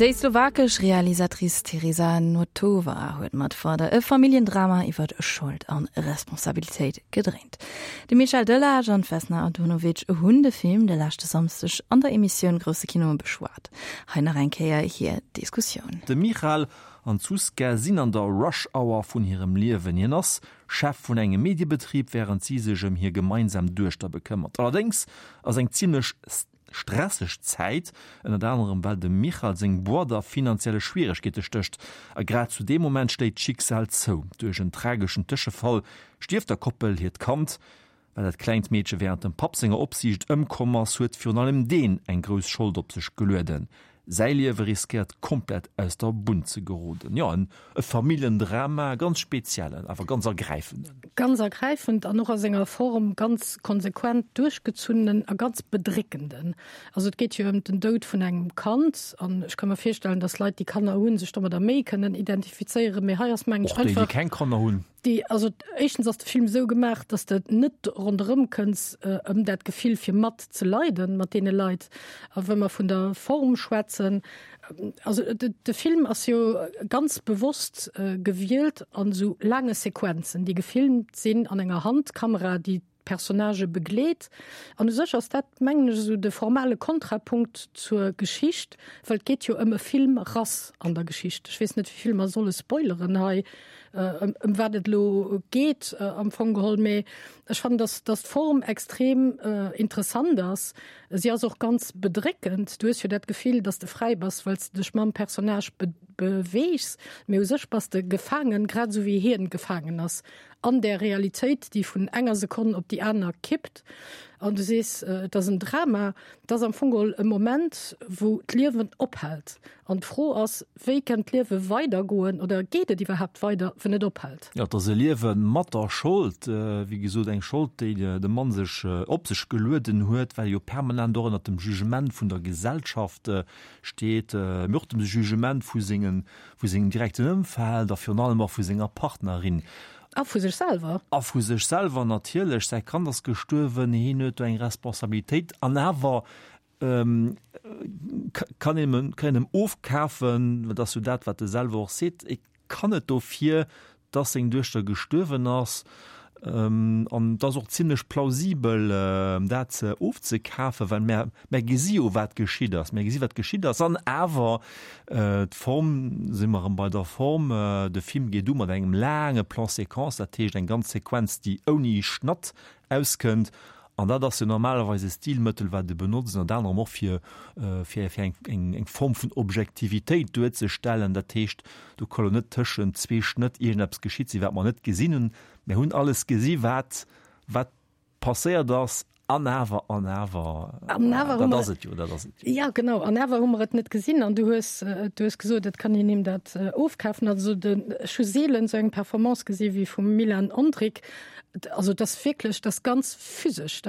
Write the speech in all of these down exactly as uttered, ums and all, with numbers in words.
Déi slowakesch Realisatrice Teresa Notova huet mat Father e Familljendrama iwwer Schold an Responsabilitéit gedréint. De Michel Delage an d'Vesna Antunovic hunn de Film de leschte Samschdeg an der Emissioun Grousse Kino beschwat. Hei nach eng Kéier hir Diskussioun. De Michal an d'Zuzka sinn an der Rush Hour vun hirem Liewen. Hien ass Chef vun engem Mediebetrib, wärend si sech ëm hir gemeinsam Duechter bekëmmert. Allerdéngs ass eng zimmlech stresseg Zäit, ënnert anerem well dem Michal seng Boîte a finanzielle Schwieregkeete stécht. A grad zu deem Moment schléit d'Schicksal zou, Duerch en trageschen Tëschefall stierft der Koppel hiert Kand. Well dat klengt Meedche wärend dem Papp senger Opsiicht ëmkomm ass, huet virun allem deen eng grouss Schold op sech gelueden. Säi Liewe riskéiert komplett aus der Bunn ze geroden. Jo, en e Familljendrama, ganz speziellen, awer ganz ergräifenden. Ganz ergräifend an och a senger Form ganz konsequent duerchgezunnenen a ganz bedréckenden. Also et geet jo ëm den Doud vun engem Kand an ech ka mer virstellen, dass Leit, déi Kanner hunn, sech domadder méi kënnen identifizéieren, mee hei ass mengen ech Och déi, déi einfach. keng Kanner hunn. Déi, also éischtens ass de Film esou gemaach, dass de net ronderëm kënns ëm dat Gefill fir mat ze leiden mat deene Leit. A wa mer vun der Form schwätzen, also de Film ass jo ganz bewosst gewielt an esou laange Sequenzen, déi gefilmt sinn an enger Handkamera, déi d'Personnagë begleet. An u sech ass dat, mengen ech, esou de formale Kontrapunkt zur Geschicht, well et geet jo ëm e Filmrass an der Geschicht. Ech weess net, wéi vill mer solle spoileren hei, ëm wat et elo geet am Fong geholl, mee ech fannen, dass, dass d'Form extrem interessant ass. Si ass och ganz bedréckend. Du hues jo dat Gefill, dass de fräi bass, well s de dech mam Personnage beweegs, mee u sech bass de gefaangen, grad esou wéi hien gefaangen ass an där Realitéit, déi vun enger Sekonn op déi aner kippt. An du sees, et ass en Drama. Et ass am Fong geholl e Moment, wou d'Liewen ophält. An d'Fro ass, wéi kann d'Liewe weidergoen oder geet et iwwerhaapt weider, wann et ophält? Jo, et ass e Liewe mat der Schold, wéi gesot, eng Schold, déi de Mann sech op sech gelueden huet, well e jo permanent och ënnert dem Jugement vun der Gesellschaft steet, mee och dem Jugement vu sengem direkten Ëmfeld a virun allem och vu senger Partnerin. A vu sech selwer. A vu sech selwer natierlech. Säi Kand ass gestuerwen, hien huet do eng Responsabilitéit. An awer kann een kann een em ofkafen, dat ass jo dat, wat e selwer och seet, e kann net dofir, dass seng Duechter gestuerwen ass. An et ass och zimlech plausibel, dat ofzekafen, well mär, mär gesi jo, wat geschitt ass. Mär gesi wat geschitt ass. An awer, d'Form, si mer erëm bei der Form, de Film geet u mat engem laange Plan-séquence, dat heescht eng ganz Sequenz, déi ouni Schnatt auskënnt. An dat ass jo normalerweis e Stilmëttel, wat e benotzt, ënnert anerem och fir, fir, fir eng, eng, eng Form vun Objektivitéit duerzestellen. Dat heescht, do ka lo net tëschent zwee Schnëtt iergendeppes geschitt sinn, wat mer net gesinn hunn. Mir hunn alles gesi wat, wat passéiert ass. An awer, an awer, An awer hu dat mer, ass et jo, dat ass et jo. Ja, genau, an awer hu mer et net gesinn. An du hues, du hues gesot, et kann een him dat ofkafen. Also den, ech hu seelen esou eng Performance gesi wéi vum Milan Ondrik. Also et ass wierklech, dat ass ganz physesch.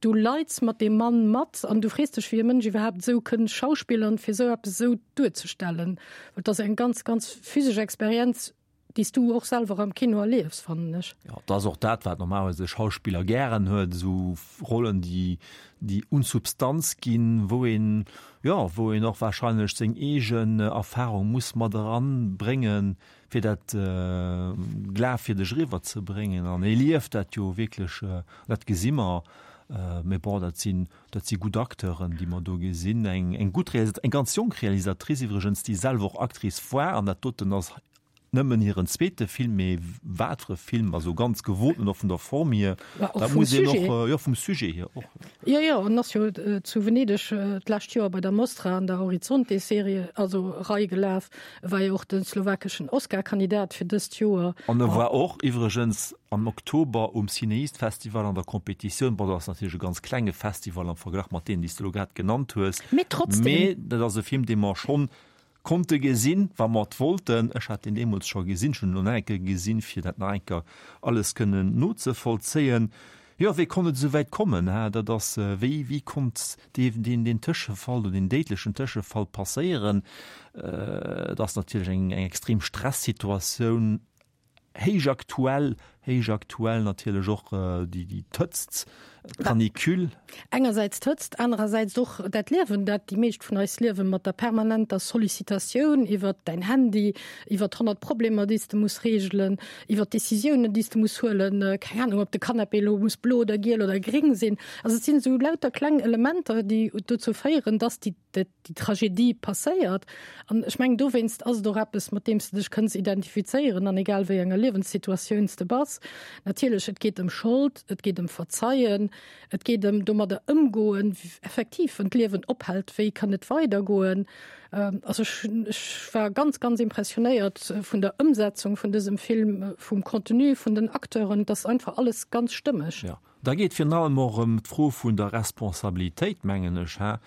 Du leits mat deem Mann mat an du frees dech, wéi e Mënsch iwwerhaapt esou kënn schauspillern, fir esou eppes esou duerzestellen. Well et ass eng ganz, ganz physesch Experienz, déi s du och selwer am Kino erliefs, fannen ech. Jo, et ass och dat, wat normalerweis e Schauspiller gären huet, esou Rollen, déi, déi un Substanz ginn, wou een, jo, wou een och wahrscheinlech seng eegen Erfahrung muss mat eranbréngen, fir dat glafwierdeg eriwwer ze bréngen. An hie lieft dat jo wierklech, dat gesi mer. Mee bon, dat sinn, dat si gutt Acteuren, déi mer do gesinn. Eng, eng gutt Realisat-, eng ganz jonk Realisatrice iwwregens, déi selwer och Actrice war. An dat doten ass nëmmen hiren zweete Film, mee wat fir e Film, also ganz gewoten och vun der Form hier. Ma och Dat vum muss een Sujet. och, jo, vum Sujet hier och. Jo, jo, an ass jo zu Venedeg d'lescht Joer bei der Mostra an der Orizzonte-Serie, also Rei gelaf, war jo och de slowakeschen Oscar-Kandidat fir dëst Joer. An e war och iwwregens am Oktober um CinEast Festival an der Competitioun. Bon, dat ass natierlech e ganz klenge Festival am Verglach mat deenen, déi s de elo grad genannt hues. Mee trotzdem. Mee dat ass e Film, dee mer schonn konnte gesinn, wa mer et wollten. Ech hat deen deemools scho gesinn, ech hunn en elo nach eng Kéier gesinn, fir dat nach eng Kéier alles kënnen nozevollzéien. Jo, wéi konnt et esou wäit kommen? Hä, dat ass, wéi, wéi konnt dee, deen, deen Tëschefall oder deen déidlechen Tëschefall passéieren? Et ass natierlech eng, eng extrem Stressituatioun, héich aktuell, héich aktuell natierlech och déi déi d'Hëtzt, d'Canicule. Engersäits d'Hëtzt, anerersäits och dat Liewen, dat déi meescht vun eis liewen, mat der permanenter Sollicitatioun iwwert däin Handy, iwwert honnert Problemer, déi s de muss reegelen, iwwert Decisiounen, déi s de muss huelen, keng Anung, ob de Canapé elo muss blo oder giel oder gréng sinn. Also et sinn esou lauter kleng Elementer, déi dozou féieren, dass déi déi Tragedie passéiert. An ech mengen, dowéinst ass et och eppes, mat deem s de dech kënns identifizéieren, an egal wéi enger Liewenssituatioun s de bass. Natierlech, et geet ëm Schold, et geet ëm Verzeien, et geet ëm domadder ëmgoen, effektiv, wann d'Liewen ophält, wéi kann et weidergoen. Also ech, ech war ganz, ganz impressionéiert vun der Ëmsetzung vun dësem Film, vum Contenu, vun den Acteuren, et ass einfach alles ganz stëmmeg. Jo. Da geet virun allem och ëm d'Fro vun der Responsabilitéit, mengen ech. Hä?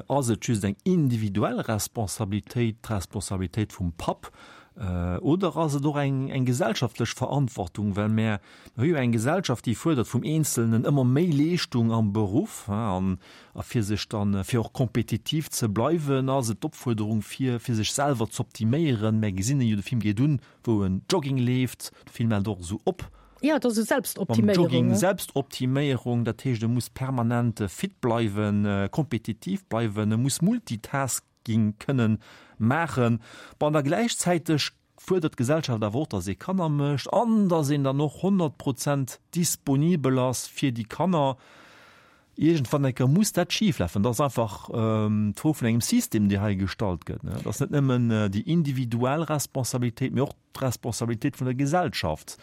Ass et just eng individuell Responsabilitéit, d'Responsabilitéit vum Papp, oder ass et och eng, eng gesellschaftlech Verantwortung? Well mär hu jo eng Gesellschaft, déi fuerdert vum Eenzelnen ëmmer méi Leeschtung am Beruff, hä, an a fir sech dann, fir och kompetitiv ze bleiwen, ass et d'Opfuerderung, fir, fir sech selwer z'optiméieren. Mär gesinn en jo, de Film geet un, wou en Jogging leeft, de Film hält och esou op. Ja, et ass esou Selbstoptiméierung. Mam Jogging, Selbstoptiméierung, dat heescht, e muss permanent fit bleiwen, kompetitiv bleiwen, e muss Multitasking kënnen maachen. Bon, an da gläichzäiteg fuerdert d'Gesellschaft awer och, datt ee Kanner mécht an datt een dann och honnert Prozent disponibel ass fir déi Kanner. Iergendwann eng Kéier muss dat schif lafen. Dat ass einfach d'Fro vun engem System, déi hei gestallt gëtt. Dat ass net nëmmen déi individuell Responsabilitéit, mee och d'Responsabilitéit vun der Gesellschaft.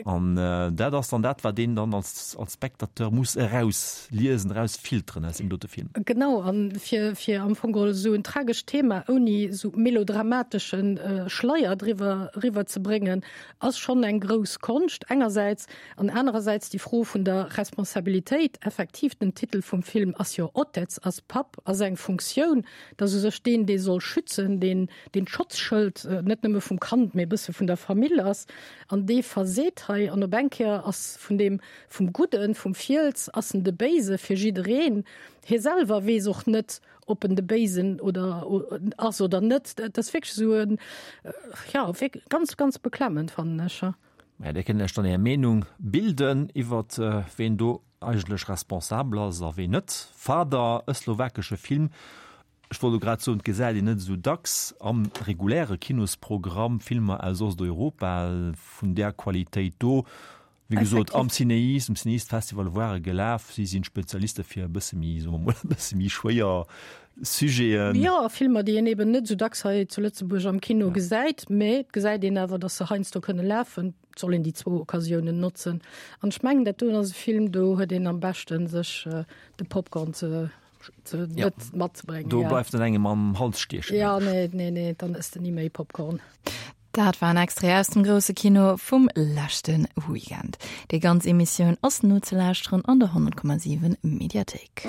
An dat ass dann dat, wat een dann als als Spectateur muss erausliesen, erausfilteren aus deem dote Film. Genau, a fir fir am Fong geholl esou en tragescht Thema ouni esou melodramatesche Schleier driwwer eriwwerzebréngen, ass schonn eng grouss Konscht engersäits. An anerersäits déi Fro vun der Responsabilitéit, effektiv, den Titel vum Film ass jo Otec, ass Papp, ass eng Funktioun, dass u sech deen, dee soll schützen, deen, deen d'Schotzschëld net nëmme vum Kand, mee e bësse vun der Famill ass, an dee verseet hei. An op eng Kéier ass vun deem, vum Gudden, vum Fiels, ass en de Béise fir jiddereen. Hie selwer weess och net, ob en de Béisen oder ass oder net. Dat ass wierklech esou en, jo, ganz, ganz beklemmend, fannen ech. Mä Dir kënnt lech dann Är Meenung bilden iwwert ween do eigentlech responsabel ass a ween net. Father, e slowakesche Film, ech wollt elo grad soen, et gesäit een net esou dacks am reguläre Kinosprogramm Filmer aus Osteuropa vun där Qualitéit do. Wéi gesot, am CinEast, um CinEast Festival ware gelaf. Si sinn Spezialiste fir e bësse méi, soe mer mol, e bësse méi schwéier Sujeten. Jo, a Filmer, déi een eben net esou dacks hei zu Lëtzebuerg am Kino gesäit, mä et gesäit een awer, datt se heiansdo kënne lafen. Et soll een déi zwou Occasiounen notzen. An ech mengen, dat doen ass e Film, do huet een am beschten, sech de Popcorn ze ze Ja. net matzebréngen. Do Ja. bleift en engem am Hals stiechen. Ja, nee, nee, nee, dann ëss de ni méi Popcorn. Dat war en Extrait aus dem grousse Kino vum leschte Weekend. Déi ganz Emissioun ass nozelauschteren an der honnert Komma siwen Mediathéik.